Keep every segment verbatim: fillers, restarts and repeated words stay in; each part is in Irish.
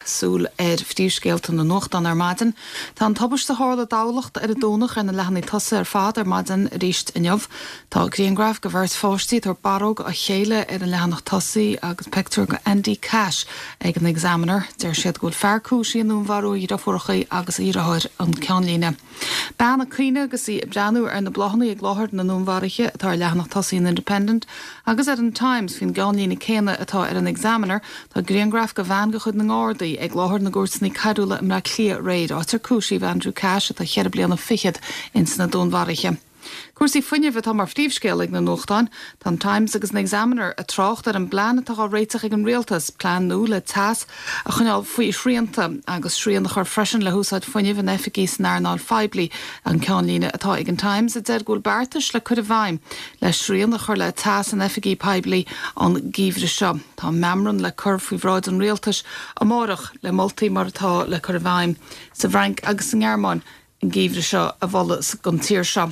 Súil ar phríomhscéalta na nuachtán ar maidin. Tá an tubaiste a tharla i dTamhlacht ar an Domhnach ar na leathanaigh tosaigh ar fad ar maidin arís inniu. Tá grianghraf de bheirt pháistí ag tabhairt barróg dá chéile ar an leathanach tosaigh agus pictiúr de Andy Cash ag an Examiner. Deir siad go bhfuil fear cúisithe i ndúnmharú a dheirfiúracha agus a dheartháir an ceannlíne. Bean ag caoineadh agus í ag breathnú ar na bláthanna ag láthair na ndúnmharuithe atá ar leathanach tosaigh an Independent agus ar an Times faoin gceannlíne céanna atá ar an Examiner tá grianghraf de bhean de chuid na nGardaí ag láthair na gcúirteanna coiriúla i mBaile Átha Cliath aréir áit ar cúisíodh Andrew Cash atá ceithre bliana fichead ins na dúnmharuithe. Cúrsaí fuinnimh atá mar phríomhscéal ag na nuachtáin, Tá an Times agus an Examiner ag trácht ar an bplean atá á réiteach ag an rialtas, plean nua le teas a choinneáil faoi shrianta agus srian a chur freisin le húsáid fuinnimh in oifigí san earnáil phoiblí an ceannlíne atá ag an Times a deir go bhfuil beartais le cur i bhfeidhm le srian a chur le teas in oifigí poiblí an geimhreadh seo. Tá meamram le cur faoi bhráid an rialtais amárach le moltaí mar atá le cur i bhfeidhm sa bhFrainc agus sa nGearmáin an geimhreadh seo a mholadh don tír seo.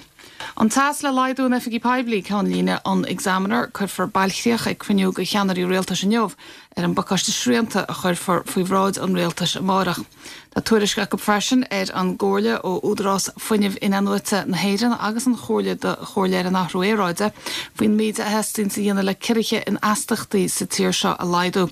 An teas le laghdú in oifigí poiblí ceannlíne an Examiner cuirfear bailchríoch ag cruinniú de cheannairí rialtais inniu ar an bpacáiste srianta a chuirfear faoi bhráid an rialtais amárach. Tá tuairisc acu freisin ar an gcomhairle ó Údarás Fuinnimh Inathnuaite na hÉireann agus an Chomhairle do Chomhairle ar an Athrú Aeráide faoin méid a theastaíonn a dhéanamh le ciorruithe in astaíochtaí sa tír seo a laghdú.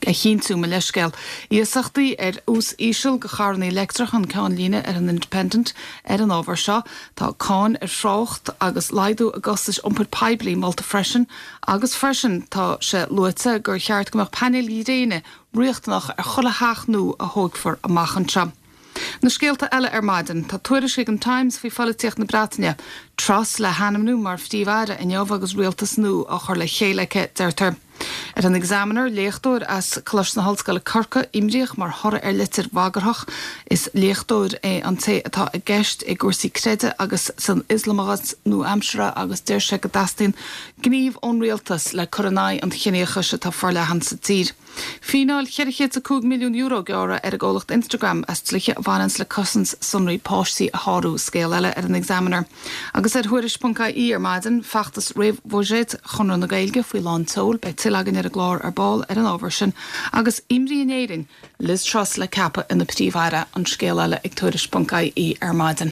a chinntiú mo leithscéal. Iasachtaí ar ús íseal do charranna leictreacha an ceannlíne ar an Independent ar an ábhar seo, Tá cáin ar thrácht agus laghdú i gcostais iompair poiblí molta freisin, agus freisin tá sé luaite gur cheart go mbeadh painéil ghréine riachtanach ar chuile theach nua a thógfar amach anseo. Na scéalta eile ar maidin tá tuairisc ag an Times faoi pholaitíocht na Breataine, Truss le hainmniú mar phríomh-aire inniu agus rialtas nua á chur le chéile aici deirtear. Ar an Examiner léachtóir as Coláiste na hOllscoile Corcaigh imríoch mar thoradh ar litir bhagarthach is léachtóir é an té atá i gceist i gcúrsaí creidimh agus san Ioslamachas nua-aimseartha agus deir sé go dteastaíonn gníomh ón rialtas le cur in aghaidh an chiníochais atá forleathan sa tír. Fíneáil ceithre chéad a cúig milliún euro gearrtha ar an gcomhlacht Instagram as dlíthe a bhaineann le cosaint sonraí páistí a shárú scéal eile ar an Examiner. Agus ar thuairisc.ie ar maidin feachtas réamhbhuiséid Chonradh na Gaeilge faoi lán tseoil beidh tuilleadh againn ar an gclár ar ball ar an ábhar sin agus imní in Éirinn Liz Truss le ceapadh ina príomh-aire an scéal eile ag tuairisc.ie ar maidin.